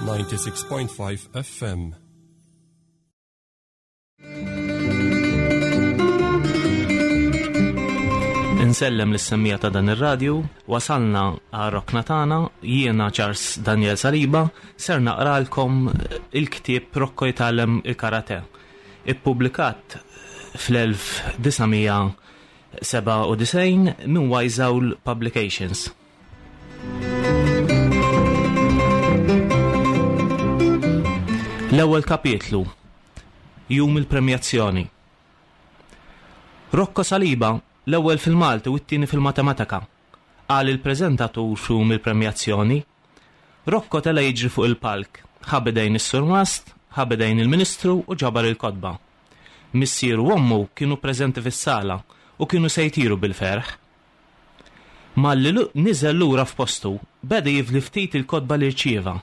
96.5 FM. Insellem lis-semmija ta' dan ir-radju, wasalna għar-rokna tagħna, jiena Charles Daniel Saliba, ser naqralkom il-ktieb Rocco jitgħallem il-karate. Ippubblikat fl-1997 minn Wise Owl Publications. L-ewwel kapitlu Jum il-premjazzjoni. Rocco Saliba, l-ewwel fil-Malti u t-tieni fil-Matematika, qal il-preżentatur f'jum il-premjazzjoni. Rocco tela' jiġri fuq il-palk, ħa b'idejn is-surmast, ħa b'idejn il-Ministru u ġabar il-kotba. Missieru u ommu kienu preżenti fis-sala u kienu se jtiru bil-ferħ. Malli niżel lura f'postu, beda jifli ftit il-kotba li rċieva.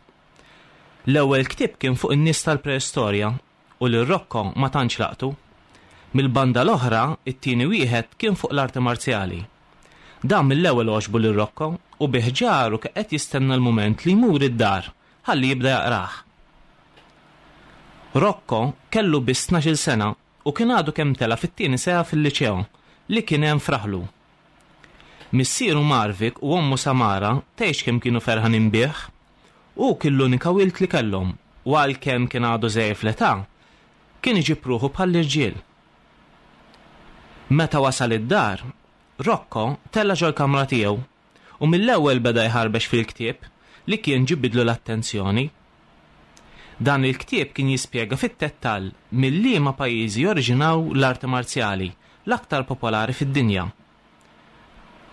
L-ewwel ktieb kien fuq in-nies tal-preistorja u lil Rocco ma tantx laqtu. Mill-banda l-oħra, it-tieni wieħed kien fuq l-arti marzjali. Dan mill-ewwel għoġbu lil Rocco u bi ħġaru kien qed jistenna l-mument li jmur id-dar ħalli jibda jaqrah. Rocco kellu biss tnax-il sena u kien għadu kemm tela' fit-tieni sena fil-liċeo li kien hemm f'raħlu. Missieru Marvik u ommu Samara tgħidx kemm kienu ferħanin bih. Hu kien l-unika wild li kellhom u għalkemm kien għadu żgħir fl-età, kien iġib ruħu bħall-irġiel. Meta wasal id-dar, Rocco tela' ġol-kamra tiegħu u mill-ewwel beda jħarbex fil-ktieb li kien ġibidlu l-attenzjoni. Dan il-ktieb kien jispjega fit-tettall mil-liema pajjiżi joriġinaw l-arti marzjali l-aktar popolari fid-dinja.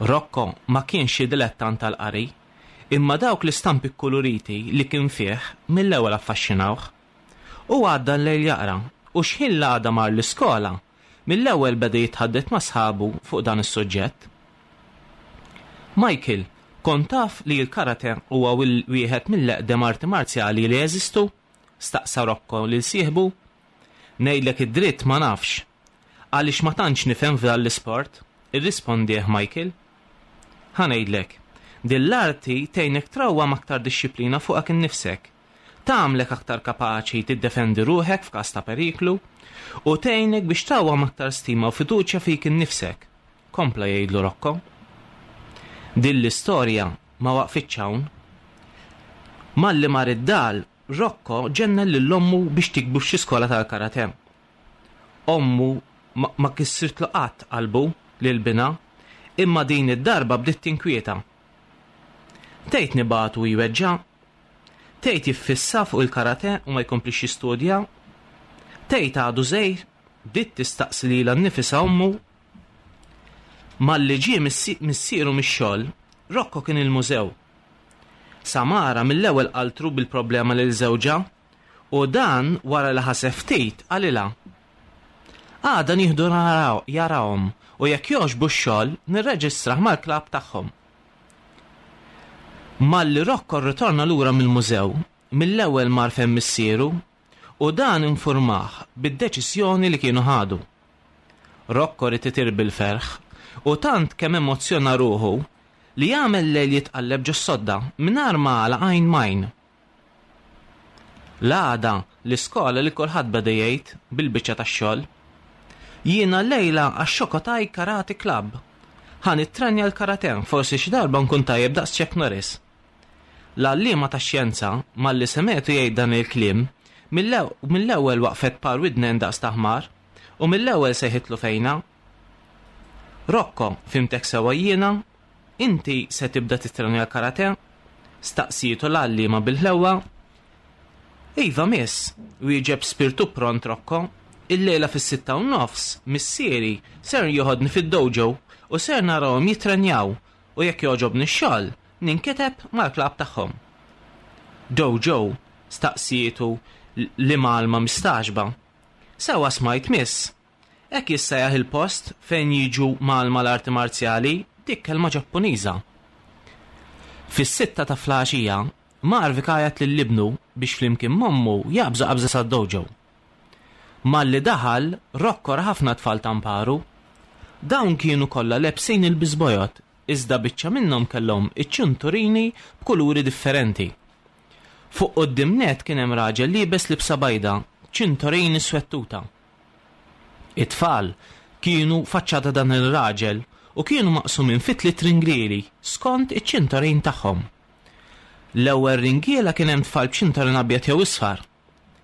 Rocco ma kienx xi dilettant tal-qari, imma dawk l-istampi kkuluriti li kien fih mill-ewwel affaxxinawh. Hu għadda l-lejl jaqra u x'ħin l-għada mar l-iskola, Mill-ewwel beda jitħaddet ma' sħabu fuq dan is-suġġett. Michael, kont taf li l-karate huwa wieħed mill-eqdem arti marzjali li jeżistu? staqsa Rocco lil sieħbu. Ngħidlek id-dritt ma nafx. Għaliex ma tantx nifhem f'dan l-isport, irrispondieh Michael. Ħa ngħidlek, din l-arti tgħinek trawwam aktar dixxiplina fuqek innifsek. Tagħmlek aktar kapaċi tiddefendi ruħek f'każ ta' periklu, u tgħinek biex trawwam aktar stima u fiduċja fik innifsek, kompla jgħidlu Rocco. Din l-istorja ma waqfitx hawn. Malli mar id-dar, Rocco ġennen lil ommu biex tikbu f'xi skola tal-karate. Ommu ma kissirtlu qatt qalbu lil binha, imma din id-darba bdiet tinkwieta. Tgħid nibagħtu jweġġa'? Tgħid jiffissa fuq il-karate u ma jkomplix jistudja? Tgħid għadu żgħir? Bdiet tistaqsi lilha nnifisha ommu. Malli ġie missieru mix-xogħol, Rocco kien il-mużew. Samara mill-ewwel qaltru bil-problema lil żewġha u dan wara li ħaseb ftit qalilha, Għada nieħdu jarahom u jekk jogħġbu x-xogħol nirreġistrah mal-klabb tagħhom. Malli Rocco rritorna lura mill-mużew, mill-ewwel mar fejn missieru u dan infurmah bid-deċiżjoni li kienu ħadu. Rocco ried itir bil-ferħ u tant kemm emozzjona ruħu li għamel lejl jitqalleb ġos-sodda mingħajr ma għalaq għajn m'għajn. L-għada, l-iskola li kulħadd beda jgħid bil-biċċa tax-xogħol. Jiena llejla għax-Shokotai Karate Club. Ħa nittrenja l-karate, forsi xi darba nkun tajjeb daqs Chuck Norris. L-għalliema tax-xjenza, malli semgħetu jgħid dan il-kliem, mill-ewwel waqfet par widnejn daqs ta' ħmar, u mill-ewwel sejħitlu fejna. Rocco, fhimtek sewwa jiena? Inti se tibda tittrenja l-karate? staqsietu l-għalliema bil-ħlewwa. Iva, miss, wieġeb b'spirtu pront Rocco. Illejla fis-6:30 missieri ser joħodni fid-dojo u ser narahom jittrenjaw u jekk jogħġobni x-xogħol, ninkiteb mal-klabb tagħhom. Dojo? staqsietu l-imgħallma mistagħġba. Sewwa smajt, miss. Hekk jissejjaħ il-post fejn jiġu mgħallma l-arti marzjali, dik kelma Ġappuniża. Fis-sitta ta' fl-għaxija, Marvik għajat lil ibnu biex flimkien m'ommu jaqbżu qabża sad-dojo. Malli daħal, Rocco ra ħafna tfal ta' mparu. Dawn kienu kollha lebsin ilbies bojod, iżda biċċa minnhom kellhom iċ-ċinturini b'kuluri differenti. Fuq quddiem nett kien hemm raġel liebes libsa bajda, ċintorin iswed tuta. It-tfal kienu faċċata dan ir-raġel u kienu maqsumin fi tliet ringlieli skont iċ-ċintorin tagħhom. L-ewwel ringiela kien hemm tfal b'ċintorin abjad jew isfar.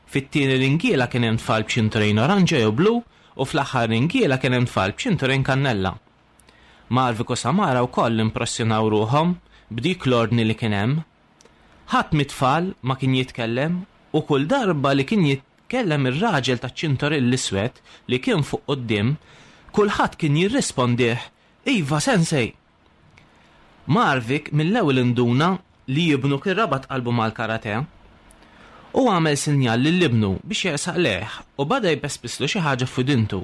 Fit-tieni ringiela kien hemm tfal b'ċintorin oranġo jew blu u fl-aħħar ringiela kien hemm tfal b'ċintorin kannella. Marvik u Samara wkoll impressjonaw ruħhom b'dik l-ordni li kien hemm. Ħadd mit-tfal ma kien jitkellem u kull darba li kien jitkellem ir-raġel taċ-ċintorin l-iswed li kien fuq quddiem, kulħadd kien jirrispondih, Iva, sensei! Marvik mill-ewwel induna li ibnu kien rabat qalbu mal-karate. Hu għamel sinjal lil ibnu biex jersaq lejh u bada jpespislu xi ħaġa f'widintu.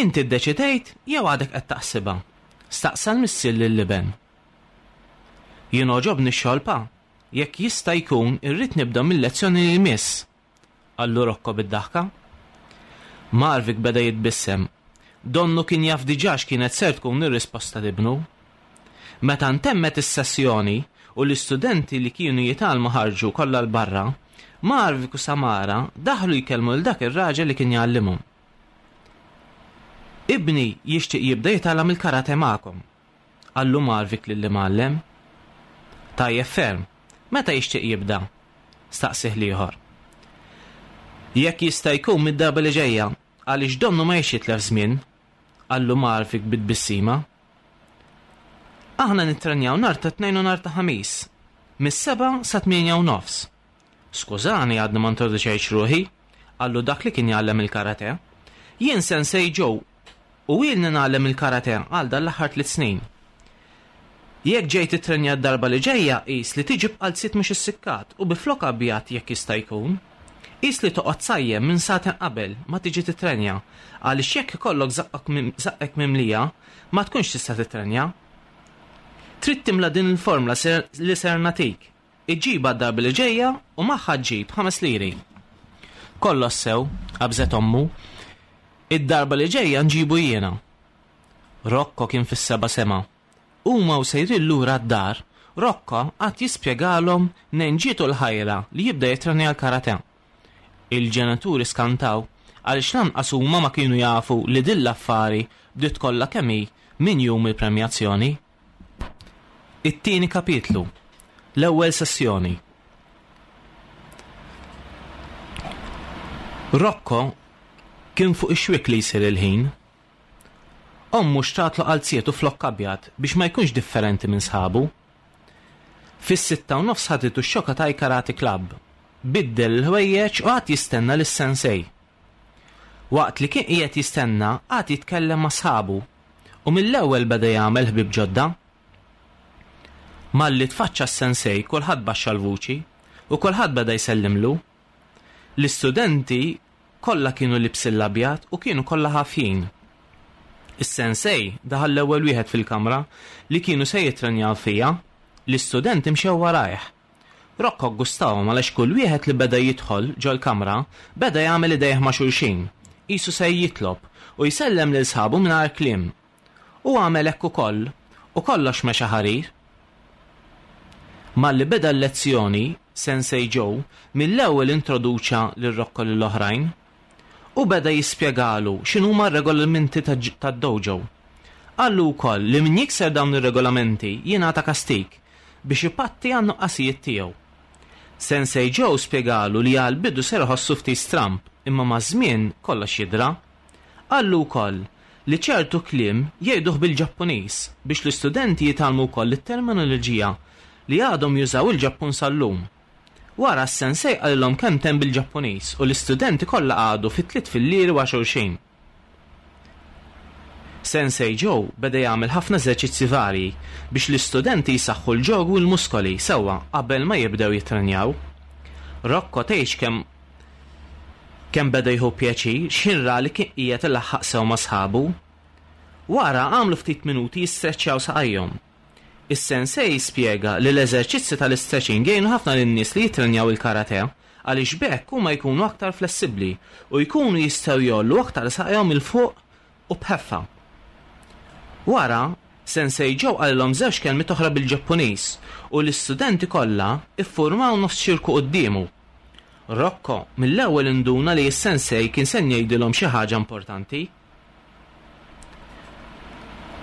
Inti ddeċidejt jew għadek qed taħsibha? staqsa l-missier lill-iben. Jien għoġobni x-xogħol pa, jekk jista' jkun irrid nibda mil-lezzjoni li jmiss, qallu Rocco bid-daħka. Marvik beda jitbissem. Donnu kien jaf diġà x'kienet ser tkun ir-risposta t'ibnu. Meta ntemmet is-sessjoni u l-istudenti li kienu jitgħallmu ħarġu kollha 'l barra, Marvik u Samara daħlu jkellmu lil dak ir-raġel li kien jgħallimhom. Ibni jixtieq jibda jitgħallem il-karate magħkom, qallu Marvik lill-imgħallem. Tajjeb ferm. Meta jixtieq jibda? staqsieh l-ieħor. Jekk jista' jkun mid-darba li ġejja, għaliex donnu ma jridx jitlef żmien, qallu Marvik bi tbissima. Aħna nittrenjaw nhar ta' Tnejn u nhar ta' Ħamis, mis-sebgħa sa tmienja u nofs. Skużani għadni ma introduċejtx ruħi, qallu dak li kien jgħallem il-karate. Jien Sensei Joe u ilni ngħallem il-karate għal dan l-aħħar tliet snin. Jekk ġej tittrenja d-darba li ġejja qis li tiġi b'qalziet mhux issikkat u bi flok abjad jekk jista' jkun. Qis li toqgħod sajjem minn sagħtejn qabel ma tiġi tittrenja għaliex jekk ikollok żaqqek mimlija ma tkunx tista' tittrenja. Trid timla din il-formla li ser nagħtik. Iġġibha d-darba li ġejja u magħha ġġib 5 liri. Kollox sew, qabżet ommu. Id-darba li ġejja nġibu jiena. Rocco kien fis-seba' sema. Huma u sejrin lura d-dar, Rocco qagħad jispjegalhom mnejn ġietu l-ħajra li jibda jittrenja l-karate. Il-ġenituri skantaw għaliex lanqas huma ma kienu jafu li din l-affari bdiet kollha kemm hi minn jum il-premjazzjoni. It-tieni kapitlu, l-ewwel sessjoni. Rocco kien fuq ix-xwiek li jsir il-ħin. Ommu xtratlu qalziet u flokk abjad biex ma jkunx differenti minn sħabu. Fis-6:30 ħaditu x-Shokatai Karate Club. Biddel il-ħwejjeġ u qagħad jistenna lis-sensei. Waqt li kien qiegħed jistenna, qagħad jitkellem ma' sħabu u mill-ewwel beda jagħmel ħbieb ġodda. Malli tfaċċa s-sensei kulħadd baxxa l-vuċi u kulħadd beda jsellimlu. L-istudenti kollha kienu libsin l-abjad u kienu kollha ħafjin. Is-sensei daħal l-ewwel wieħed fil-kamra li kienu se jittrenjaw fiha, l-istudenti mxew warajh. Rocco ggustahom għaliex kull wieħed li beda jidħol ġol-kamra beda jagħmel idejh ma' xulxin, qisu se jitlob, u jsellem lil sħabu mingħajr kliem. Hu għamel hekk ukoll u kollox mexa ħarir. Malli beda l-lezzjoni, Sensei Joe mill-ewwel introduċa lil Rocco lill-oħrajn. Hu beda jispjegalu x'inhuma r-regolamenti tad-dojo. Qallu wkoll li min jikser dawn ir-regolamenti jingħata kastig biex ipatti għan-nuqqasijiet tiegħu. Sensei Joe spjegalu li għall-bidu ser iħossu ftit stramb imma maż-żmien kollox jidra. Qallu wkoll li ċertu kliem jgħiduh bil-Ġappuniż biex l-istudenti jitgħallmu wkoll it-terminoloġija li għadhom jużaw il-Ġappun sal-lum. Wara s-sensei qalilhom kelmtejn bil-Ġappuniż u l-istudenti kollha qagħdu fi tliet fillieri wara xulxin. Sensei Joe beda jagħmel ħafna eżerċizzji varji biex l-istudenti jsaħħu l-ġog u l-muskoli sewwa qabel ma jibdew jittrenjaw. Rocco tgħidx kemm kemm beda jieħu pjaċir x'ħin ra li kien qiegħed ilaħħaq sew ma' sħabu. Wara għamlu ftit minuti jistreċċjaw saqajhom. Is-sensei spjega li l-eżerċizzi tal-istretching jgħinu ħafna lin-nies li jittrenjaw il-karate għaliex b'hekk huma jkunu aktar flessibbli u jkunu jistgħu jgħollu aktar saqajhom 'il fuq u b'ħeffa. Wara, Sensei Joe qalilhom żewġ kelmiet oħra bil-Ġappuniż u l-istudenti kollha ffurmaw nofs ċirku quddiemu. Rocco mill-ewwel induna li s-sensei kien se jgħidilhom xi ħaġa importanti.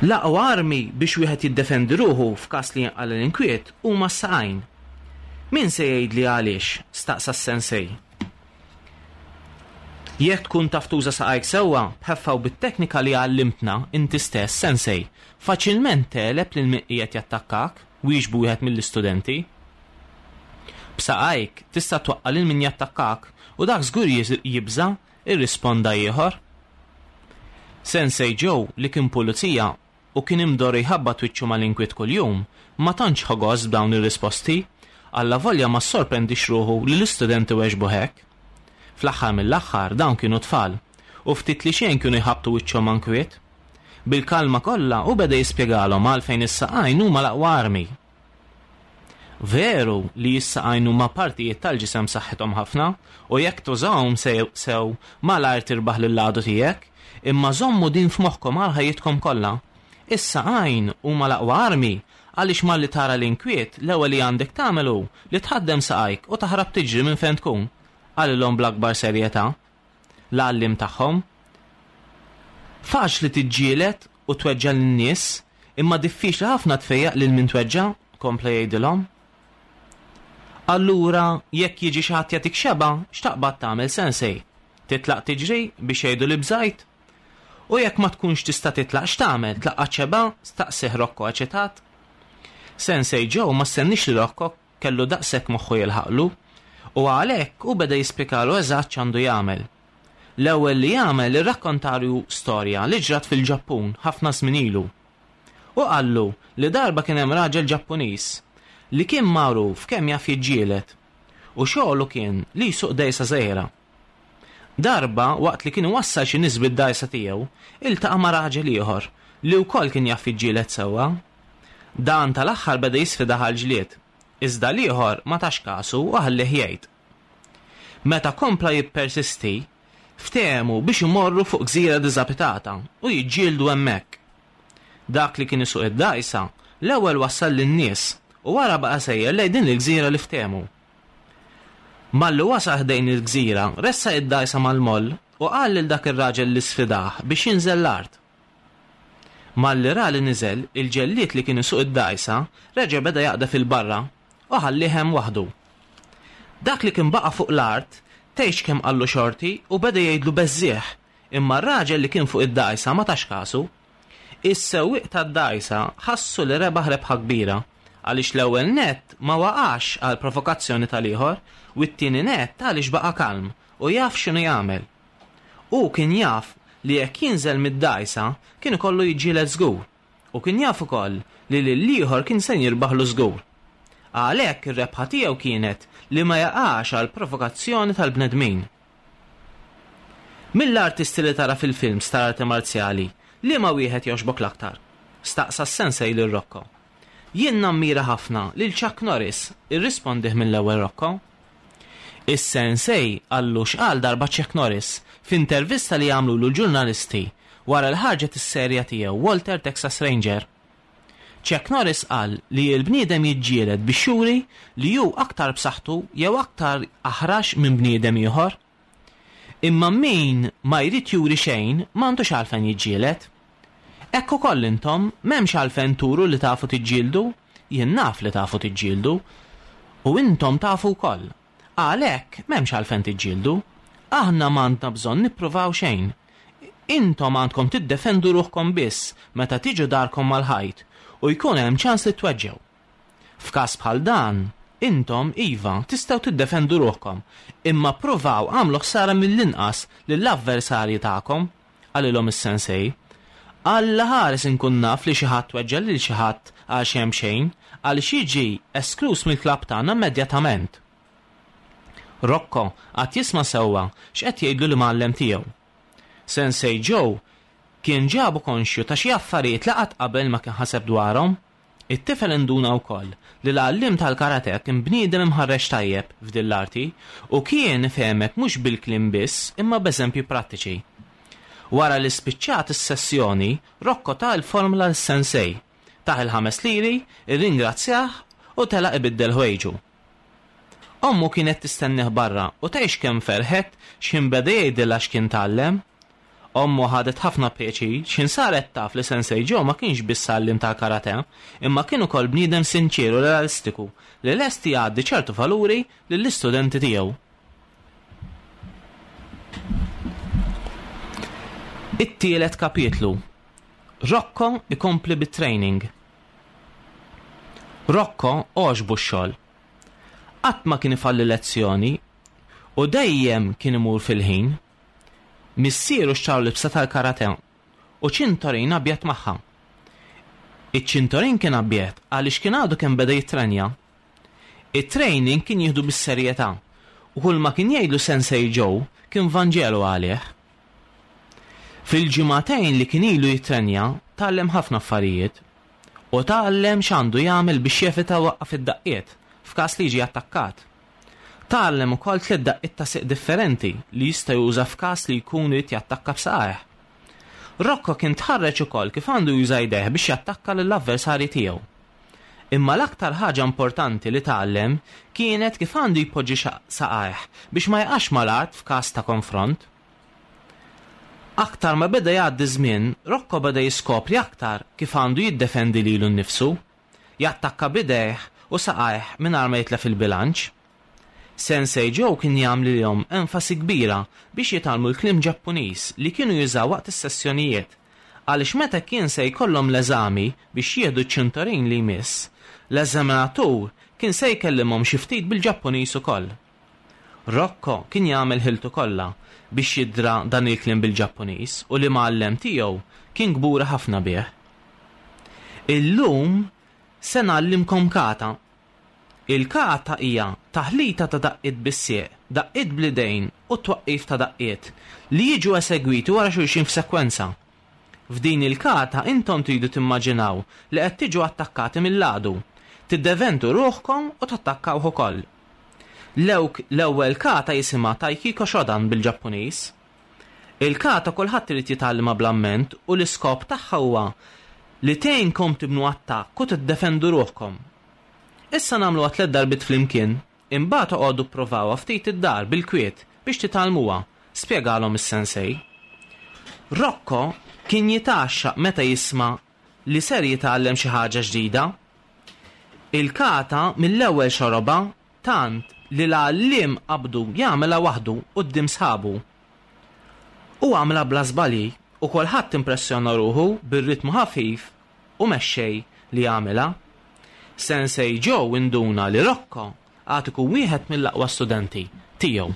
L-aqwa armi biex wieħed jiddefendi ruħu f'każ li jinqala' l-inkwiet huma s-saqajn. Min se jgħidli għaliex? staqsa s-sensei. Jekk tkun taf tuża saqajk sewwa, b'ħeffa u bit-teknika li għallimtna inti stess, sensei, faċilment tegħleb lil min qiegħed jattakkak, wieġbu wieħed mill-istudenti. B'saqajk tista' twaqqa' lil min jattakkak u dak żgur jibża', irrisponda ieħor. Sensei Joe, li kien pulizija u kien imdorri jħabbat wiċċu mal-inkwiet kuljum, ma tantx ħa gost b'dawn ir-risposti, allavolja ma ssorprendiex ruħu li l-istudenti weġbuh hekk. Fl-aħħar mill-aħħar dawn kienu tfal, u ftit li xejn kienu jħabbtu wiċċhom ma' nkwiet. Bil-kalma kollha hu beda jispjegalhom għalfejn is-saqajn huma l-aqwa armi. Veru li s-saqajn huma partijiet tal-ġisem b'saħħithom ħafna u jekk tużahom sew malajr tirbaħ lill-għadu tiegħek, imma żommu din f'moħħkom għal ħajjitkom kollha, is-saqajn huma l-aqwa armi għaliex malli tara l-inkwiet l-ewwel li għandek tagħmel hu li tħaddem saqajk u taħrab tiġri minn fejn tkun, qalilhom bl-akbar serjetà l-għalliem tagħhom. Faċli tiġġieled u tweġġa' lin-nies, imma diffiċli ħafna tfejjaq lil min tweġġa', kompla jgħidilhom. Allura, jekk jiġi xi ħadd jagħtik xebgħa, x'taqbad tagħmel, Sensei? Titlaq tiġri biex jgħidu li bżajt? U jekk ma tkunx tista' titlaq x'tagħmel, tlaqqat xebgħa? staqsieh Rocco eċitat. Sensei Joe ma stenniex li Rocco kellu daqshekk moħħu jilħaqlu, u għalhekk hu beda jispjegalu eżatt x'għandu jagħmel. L-ewwel li għamel irrakkontalu storja li ġrat fil-Ġappun ħafna żmien ilu. Hu qallu li darba kien hemm raġel Ġappuniż li kien magħruf kemm jaf jiġġieled u xogħlu kien li jsuq dgħajsa żgħira. Darba, waqt li kien iwassal xi nies bid-dgħajsa tiegħu, iltaqa' ma' raġel ieħor li wkoll kien jaf jiġġieled sewwa. Dan tal-aħħar beda jisfidah għall-ġlied, iżda l-ieħor ma tax kasu u ħallieh jgħid. Meta kompla jippersisti, ftehmu biex imorru fuq gżira diżabitata u jiġġieldu hemmhekk. Dak li kien isuq id-dgħajsa l-ewwel wassal lin-nies u wara baqa' sejjer lejn din il-gżira li ftehmu. Malli wasal ħdejn il-gżira, ressaq id-dgħajsa mal-moll u qal lil dak ir-raġel li sfidah biex jinżel l-art. Malli ra li niżel, il-ġellied li kien isuq id-dgħajsa reġa' beda jaqdef 'il barra u ħallieh hemm waħdu. Dak li kien baqa' fuq l-art tgħidx kemm qallu xorti u beda jgħidlu beżżiegħ, imma r-raġel li kien fuq id-dgħajsa ma tax kasu. Is-sewwieq tad-dgħajsa ħassu li rebaħ rebħa kbira, għaliex l-ewwel nett ma waqax għall-provokazzjoni tal-ieħor u t-tieni nett għaliex baqa' kalm u jaf x'inhu jagħmel. Hu kien jaf li jekk jinżel mid-dgħajsa kien ikollu jiġġieled żgur u kien jaf ukoll li lill-ieħor kien se jirbaħlu żgur. Għalhekk ir-rebħa tiegħu kienet li ma jaqax għall-provokazzjoni tal-bnedmin. Mill-artisti li tara fil-films tal-arti marzjali, liema wieħed jogħġbok l-aktar? staqsa s-sensei lil Rocco. Jien nammira ħafna lil Chuck Norris, irrispondih mill-ewwel Rocco. Is-sensei qallu x'qal darba Chuck Norris f'intervista li għamlulu l-ġurnalisti wara li ħarġet is-serja tiegħu Walter Texas Ranger. Chuck Norris qal li l-bniedem jiġġieled biex juri li hu aktar b'saħħtu jew aktar aħrax minn bniedem ieħor. Imma min ma jrid juri xejn m'għandux għalfejn jiġġieled. Hekk ukoll intom, m'hemmx għalfejn turu li tafu tiġġieldu, jien naf li tafu tiġġieldu. U intom tafu wkoll. Għalhekk, m'hemmx għalfejn tiġġieldu. Aħna m'għandna bżonn nippruvaw xejn. Intom għandkom tiddefendu ruħkom biss meta tiġu darkom mal-ħajt u jkun hemm ċans li tweġġgħu. F'każ bħal dan, intom, iva, tistgħu tiddefendu ruħkom, imma ppruvaw agħmlu ħsara mill-inqas lill-avversarji tagħkom. Qalilhom is-sensei. Alla ħares inkun naf li xi ħadd weġġa' lil xi ħadd għal xejn b'xejn, għaliex jiġi eskluż mill-klabb tagħna immedjatament. Rocco qagħad jisma' sewwa x'qed jgħidlu l-imgħallem tiegħu. Sensei Joe kien ġabu konxju ta' xi affarijiet li qatt qabel ma kien ħaseb dwarhom. It-tifel induna wkoll li l-għalliem tal-karate kien bniedem imħarreġ tajjeb f'din l-arti u kien ifehmek mhux bil-kliem biss imma b'eżempji prattiċi. Wara li spiċċat is-sessjoni, Rocco ta l-formula lis-sensei. Tah il-ħames liri, irringrazzjah u telaq ibiddel ħwejġu. Ommu kienet tistennih barra u tgħix kemm ferħet x'ħin beda jgħidilha x'kien tgħallem. Ommu ħadet ħafna pjaċir x'ħin saret taf li Sensei Joe ma kienx biss għalliem tal-karate, imma kien ukoll bniedem sinċier u realistiku li lest jgħaddi ċertu valuri lill-istudenti tiegħu. It-tielet kapitlu. Rocco ikompli bit-training. Rocco għoġbu x-xogħol. Qatt ma kien ifalli lezzjoni u dejjem kien imur fil-ħin. Missieru xtralu libsa tal-karate u ċintorin abjad magħha. Iċ-ċintorin kien abjad għaliex kien għadu kemm beda jittrenja. It-training kien jieħdu bis-serjetà u kulma kien jgħidlu Sensei Joe kien vanġelu għalih. Fil-ġimagħtejn li kien ilu jittrenja tgħallem ħafna affarijiet u tgħallem x'għandu jagħmel biex jevita jwaqqaf id-daqqiet f'każ li jiġi attakkat. Tgħallem ukoll tliet daqqiet ta' sieq differenti li jista' juża f'każ li jkun irid jattakka b'saqajh. Rocco kien tħarreġ ukoll kif għandu juża jdejh biex jattakka lill-avversarji tiegħu. Imma l-aktar ħaġa importanti li tgħallem kienet kif għandu jpoġġi saqajh biex ma jaqax mal-art f'każ ta' konfront. Aktar ma beda jgħaddi ż-żmien, Rocco beda jiskopri aktar kif għandu jiddefendi lilu nnifsu, jattakka b'idejh u saqajh mingħajr ma jitlef il-bilanċ. Sensei Joe kien jagħmlilhom enfasi kbira biex jitgħallmu l-kliem Ġappuniż li kienu jużaw waqt is-sessjonijiet, għaliex meta kien se jkollhom l-eżami biex jieħdu ċ-ċintorin li jmiss, l-eżaminatur kien se jkellimhom xi ftit bil-Ġappuniż ukoll. Rocco kien jagħmel ħiltu kollha biex jidra dan il-kliem bil-Ġappuniż u l-imgħallem tiegħu kien kburi ħafna bih. Illum se ngħallimkom kata. Il-kata hija taħlita ta' daqqiet bis-sieq, daqqiet bl-idejn u t-twaqqif ta' daqqiet, li jiġu esegwiti wara xulxin f'sekwenza. F'din il-kata intom tridu timmaġinaw li qed tiġu attakkati mill-għadu, tiddeventu ruħkom u tattakkawh ukoll. L-ewwel kata jisimha Taikiko Shodan bil-Ġappuniż. Il-kata kulħadd irid jitgħallimha bl-amment u l-iskop tagħha huwa li tgħinkom tibnu attakk u tiddefendu ruħkom. Issa nagħmluha tlett darbiet flimkien, imbagħad oqogħdu pprovawha ftit id-dar bil-kwiet biex titgħallmuha, spjegalhom is-sensei. Rocco kien jitgħaxxaq meta jisma' li ser jitgħallem xi ħaġa ġdida. Il-kata mill-ewwel xorobha tant li l-għalliem qabdu jagħmilha waħdu quddiem sħabu. Hu għamilha bla żbalji u kulħadd impressjona ruħu bir-ritmu ħafif u mexxej li għamilha. Sensei Joe induna li Rocco għad ikun wieħed mill-aqwa studenti tiegħu.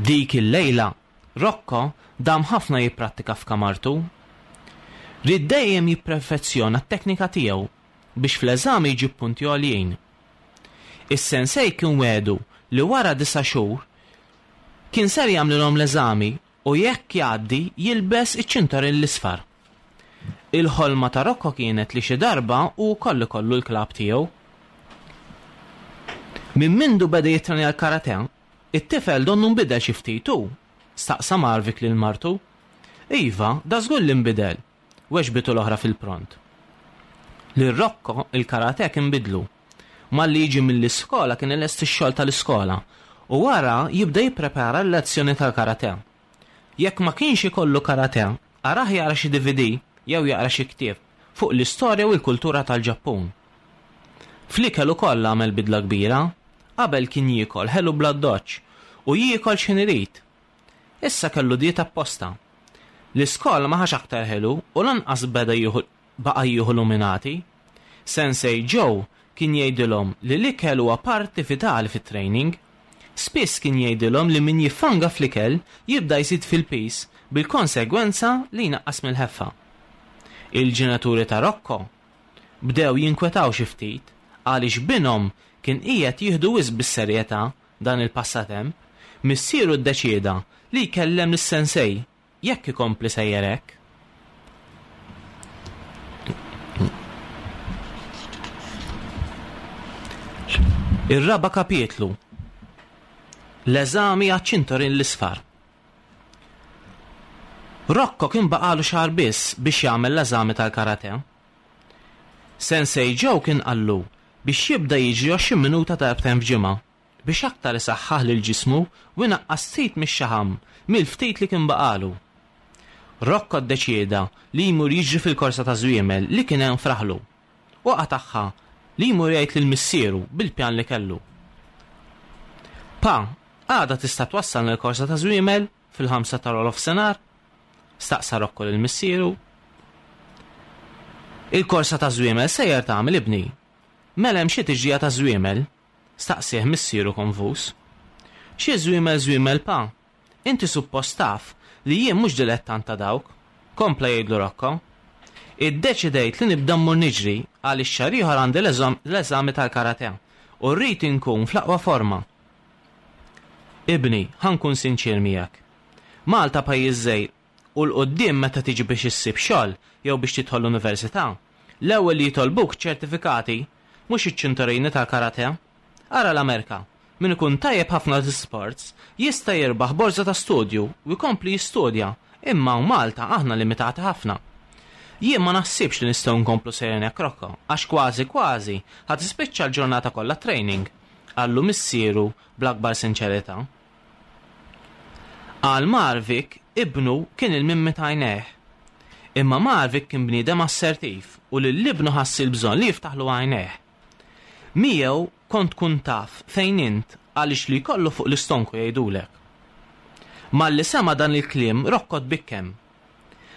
Dik il-lejla, Rocco dam ħafna jipprattika f'kamartu. Ried dejjem jipperfezzjona t-teknika tiegħu biex fl-eżami jġib punti għoljin. Is-sensei kien wegħdu li wara disa' xhur kien ser jagħmlilhom l-eżami u jekk jgħaddi jilbes iċ-ċintorin l-isfar. Il-ħolma ta' Rocco kienet li xi darba hu wkoll ikollu l-klabb tiegħu. Minn mindu beda jittrenja l-karate, it-tifel donnu nbidel xi ftit hu? staqsa Marvik lil martu. Iva, dażgur li nbidel, weġbitu l-oħra fil-pront. Lil Rocco il-karate kien bidlu. Malli jiġi mill-iskola kien ilesti x-xogħol tal-iskola u wara jibda jipprepara l-lezzjoni tal-karate. Jekk ma kienx ikollu karate, arah jara xi DVD jew jaqra xi ktieb fuq l-istorja u l-kultura tal-Ġappun. Fl-ikel ukoll għamel bidla kbira. Qabel kien jiekol ħelu bl-addoċċ u jiekol x'ħin irid. Issa kellu dieta apposta. L-iskola ma ħax aktar ħelu u lanqas beda jieħu baqa' jieħu luminati. Sensei Joe kien jgħidilhom li l-ikel huwa parti vitali fit-training. Spiss kien jgħidilhom li min jiffanga fl-ikel jibda jżid fil-piż bil-konsegwenza li jnaqqas mill-ħeffa. Il-ġenituri ta' Rocco bdew jinkwetaw xi ftit għaliex binhom kien qiegħed jieħdu wisq bis-serjetà dan il-passatemp. Missieru ddeċieda li jkellem lis-sensei Jekk ikompli sejjer hekk. Ir-raba' kapitlu. L-eżami għaċ-ċintorin l-isfar. Rocco kien baqagħlu xahar biss biex jagħmel l-eżami tal-karate. Sensei Joe kien qallu biex jibda jiġri 20 minuta darbtejn f'ġimgħa biex aktar isaħħaħ lil ġismu u jnaqqas ftit mix-xaħam mill-ftit li kien baqagħlu. Rocco ddeċieda li jmur jiġri fil-korsa taż-żwiemel li kien hemm f'raħlu u qatagħha li jmur jgħid lil missieru bil-pjan li kellu. Pa, għada tista' twassalni l-korsa taż-żwiemel fil-ħamsa ta' nofsinhar? Staqsa Rocco lil missieru. Il-korsa taż-żwiemel sejjer tagħmel ibni. Mela hemm xi tiġrija taż-żwiemel? Staqsieh missieru konfuż. Xi żwiemel żwiemel pa? Inti suppost taf li jien mhux dilettant ta' dawk, kompla jgħidlu Rocco. Iddeċidejt li nibda mmur niġri għaliex xahar ieħor għandi l-eżami tal-karate u rrid inkun fl-aqwa forma. Ibni, ħa nkun sinċier miegħek. Malta pajjiż żgħir u 'l quddiem meta tiġi biex issib xogħol jew biex tidħol l-università, l-ewwel li jitolbuk ċertifikati, mhux iċ-ċintorini tal-karate. Ara l-Amerka, min ikun tajjeb ħafna fl-isports jista' jirbaħ borża ta' studju u jkompli jistudja, imma hawn Malta aħna limitati ħafna. Jien ma naħsibx li nistgħu nkomplu sejrin hekk Rocco, għax kważi kważi ħa tispiċċa l-ġurnata kollha training, qallu missieru bl-akbar sinċerità. Għal Marvik, ibnu kien il-mimmi t'għajnejh. Imma Marvik kien bniedem assertiv u lil ibnu ħass il-bżonn li jiftaħlu għajnejh. Miegħu kont tkun taf fejn int għaliex li jkollu fuq l-istonku jgħidulek. Malli sema' dan il-kliem Rocco tbikkem.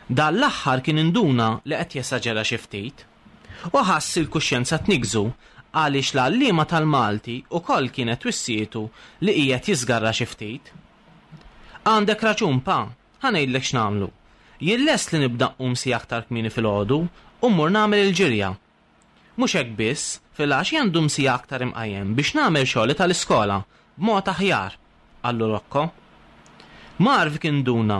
Dan l-aħħar kien induna li qed jesaġera xi ftit. U ħass il-kuxjenza tniggżu għaliex l-għalliema tal-Malti ukoll kienet wissietu li qiegħed jiżgarra xi ftit. Għandek raġun, pa, ħa ngħidlek x'nagħmlu. Jien lest li nibda nqum siegħa aktar kmieni filgħodu u mmur nagħmel il-ġirja. Mhux hekk biss, filgħaxija ndum siegħa aktar imqajjem biex nagħmel xogħli tal-iskola b'mod aħjar, qallu Rocco. Marv induna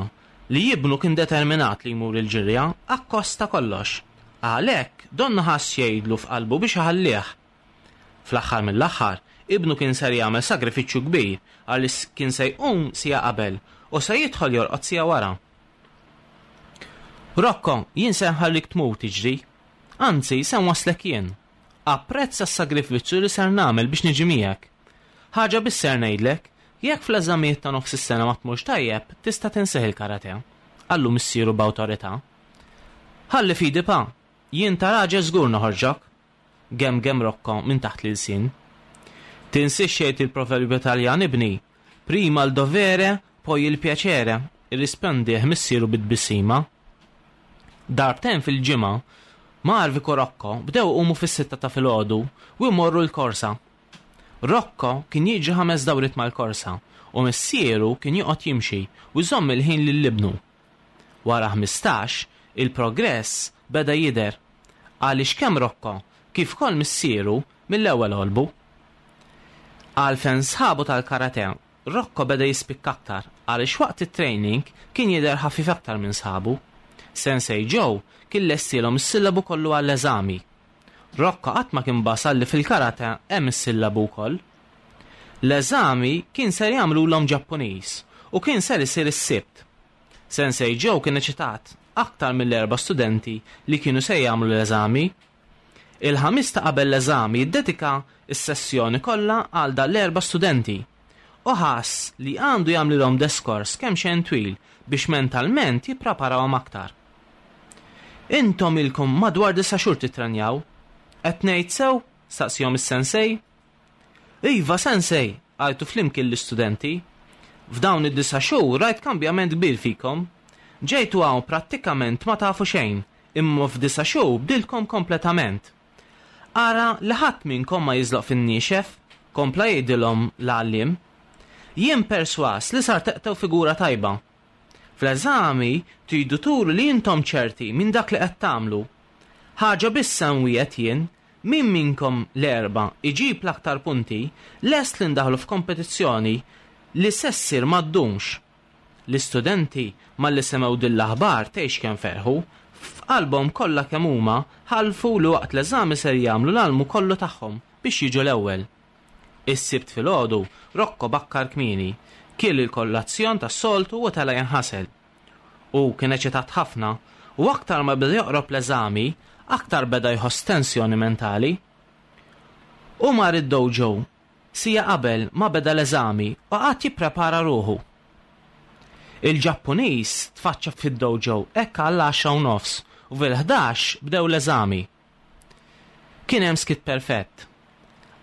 li ibnu kien determinat li jmur il-ġirja akkost ta' kollox. Għalhekk donnu ħass jgħidlu f'qalbu biex iħallih. Fl-aħħar mill-aħħar, ibnu kien ser jagħmel sagrifiċċju kbir għaliex kien se jqum siegħa qabel u se jidħol jorqod siegħa wara. Rocco, jien se nħallik tmur tiġri. Anzi, se nwasslek jien. Apprezza s-sagrifiċċju li ser nagħmel biex niġi miegħek. Ħaġa biss ser ngħidlek, jekk fl-eżamijiet ta' nofs is-sena ma tmurx tajjeb, tista' tinsih il-karate. Qallu missieru b'awtorità. Ħalli f'idi pa, jien ta' raġel żgur noħorġok. Gemgem Rocco minn taħt l-ilsien. Tinsiex xejn il-proverbju Taljan ibni, prima il dovere, poi il piacere, irrispondih missieru bi tbissima. Darbtejn fil-ġimgħa, Marvik u Rocco bdew iqumu fis-sitta ta' filgħodu u jmorru l-korsa. Rocco kien jiġri ħames dawriet mal-korsa u missieru kien joqgħod jimxi u jżomm il-ħin lil ibnu. Wara 15, il-progress beda jidher għaliex kemm Rocco kif ukoll missieru mill-ewwel għolbu. Għal fejn sħabu tal-karate, Rocco beda jispikka aktar għaliex waqt it-training kien jidher ħafif aktar minn sħabu. Sensei Joe kien lestielhom is-sillabu kollu għall-eżami. Rocco qatt ma kien basal li fil-karate hemm is-sillabu wkoll. L-eżami kien ser jagħmlulhom Ġappuniż u kien ser isir is-Sibt. Sensei Joe kien eċitat aktar mill-erba' studenti li kienu se jagħmlu l-eżami. Il-Ħamis ta' qabel l-eżami ddedika s-sessjoni kollha għal dan l-erba' studenti u ħass li għandu jagħmlilhom deskors kemm xejn twil biex mentalment jippreparawhom aktar. Intom ilkom madwar disa' xhur tittrenjaw. Qed ngħid sew? staqsihom is-sensei. Iva, sensei, għajtu flimkien l-istudenti. F'dawn id-disa' xhur rajt kambjament kbir fikom. Ġejtu hawn prattikament ma tafu xejn, imma f'disa' xhur bdiltkom kompletament. Ara li ħadd minnkom ma jiżloq fin-niexef, kompla jgħidilhom l-għalliem. Jien persważ li sar teqtgħu figura tajba. Fl-eżami tridu turu li intom ċerti minn dak li qed tagħmlu. Ħaġa biss se nwiegħed jien, min minnkom l-erbgħa iġib l-aktar punti, lest li ndaħħlu f'kompetizzjoni li se ssir ma ddumx. L-istudenti malli semgħu din l-aħbar tgħix kemm ferħu. F'qalbhom kollha kemm huma ħalfu li waqt l-eżami ser jagħmlu l-almu kollu tagħhom biex jiġu l-ewwel. Is-Sibt filgħodu, Rocco bakkar kmieni, kiel il-kollazzjon tas-soltu u tela' jinħasel. Hu kien eċitat ħafna u aktar ma beda joqrob l-eżami, aktar beda jħoss tensjoni mentali. Hu mar id-dojo siegħa qabel ma beda l-eżami u qagħad jipprepara ruħu. Il-Ġappuniż tfaċċa fid-dojo hekk għall-għaxra u nofs u fil-ħdax bdew l-eżami. Kien hemm skiet perfett.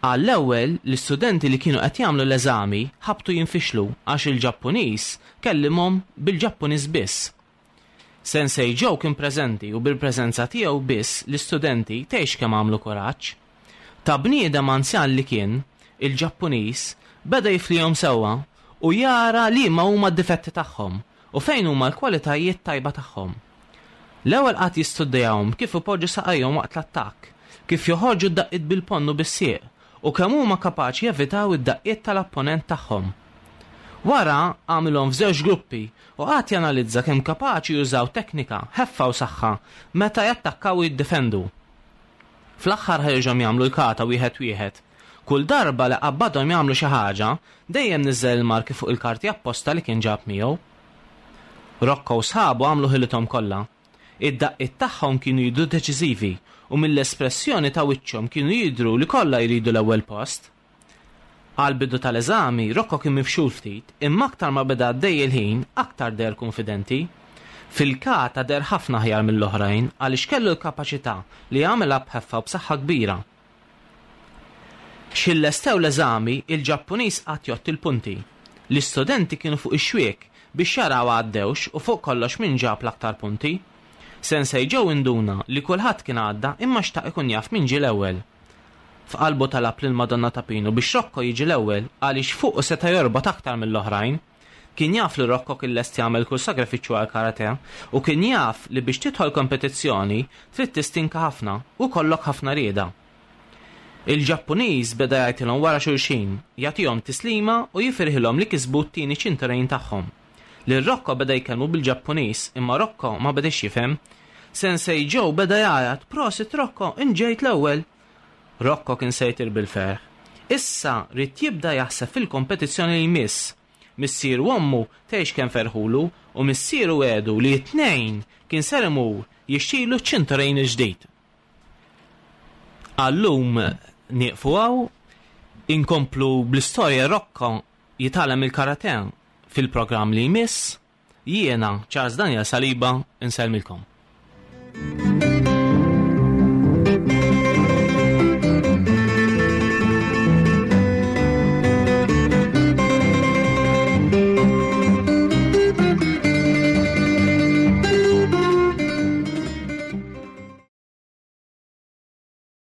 Għall-ewwel, l-istudenti li kienu qed jagħmlu l-eżami ħabtu jinfixlu għax il-Ġappuniż kellimhom bil-Ġappuniż biss. Sensei Joe kien preżenti u bil-preżenza tiegħu biss l-istudenti tgħix kemm għamlu kuraġġ. Ta' bniedem anzjan li kien, il-Ġappuniż beda jiflihom sewwa u jara liema huma d-difetti tagħhom u fejn huma l-kwalitajiet tajba tagħhom. L-ewwel qagħad jistudjahom kif ipoġġu saqajhom waqt l-attakk, kif joħorġu d-daqqiet bil-ponn u bis-sieq, u kemm huma kapaċi jevitaw id-daqqiet tal-apponent tagħhom. Wara għamilhom f'żewġ gruppi u qagħad janalizza kemm kapaċi jużaw teknika, ħeffa u saħħa meta jattakkaw u jiddefendu. Fl-aħħar ħeġġhom jagħmlu l-kata wieħed wieħed. Kull darba li qabbadhom jagħmlu xi ħaġa, dejjem niżżel il-marki fuq il-karti apposta li kien ġab miegħu. Rocco u sħabu għamlu ħilithom kollha. Id-daqqiet tagħhom kienu jidhru deċiżivi u mill-espressjoni ta' wiċċhom kienu jidhru li kollha jridu l-ewwel post. Għall-bidu tal-eżami, Rocco kien mifxul ftit, imma aktar ma beda għaddej il-ħin, aktar deher kunfidenti. Fil-kata deher ħafna aħjar mill-oħrajn għaliex kellu l-kapaċità li jagħmilha b'ħeffa u b'saħħa kbira. X'ħin lestew l-eżami, il-Ġappuniż qagħad jgħodd il-punti. L-istudenti kienu fuq ix-xwiek biex jaraw għaddewx u fuq kollox min ġab l-aktar punti. Sensei Joe induna li kulħadd kien għadda imma xtaq ikun jaf min ġie l-ewwel. F'qalbu talab lill-Madonna ta' Pinu biex Rocco jiġi l-ewwel għaliex fuqu seta' jorbot aktar mill-oħrajn. Kien jaf li Rocco kien lest jagħmel kull sagrifiċċju għall-karate u kien jaf li biex tidħol kompetizzjoni trid tistinka ħafna u jkollok ħafna rieda. Il-Ġappuniż beda jgħajtilhom wara xulxin, jagħtihom tislima u jifirħilhom li kisbu t-tieni ċinturin tagħhom. Lil Rocco beda jkellmu bil-Ġappuniż imma Rocco ma bediex jifhem. Sensei Joe beda jgħajjat, Prosit Rocco, int ġejt l-ewwel! Rocco kien se jtir bil-ferħ. Issa ried jibda jaħseb fil-kompetizzjoni li jmiss. Missieru u ommu tgħix kemm ferħulu u missieru wegħdu li t-Tnejn kien ser imur jixtrilu ċ-ċinturin il-ġdid. Għal-lum nieqfu hawn, inkomplu bl-istorja Rocco jitgħallem il-karate fil-programm li jmiss. Jiena, Charles Daniel Saliba, insellmilkom.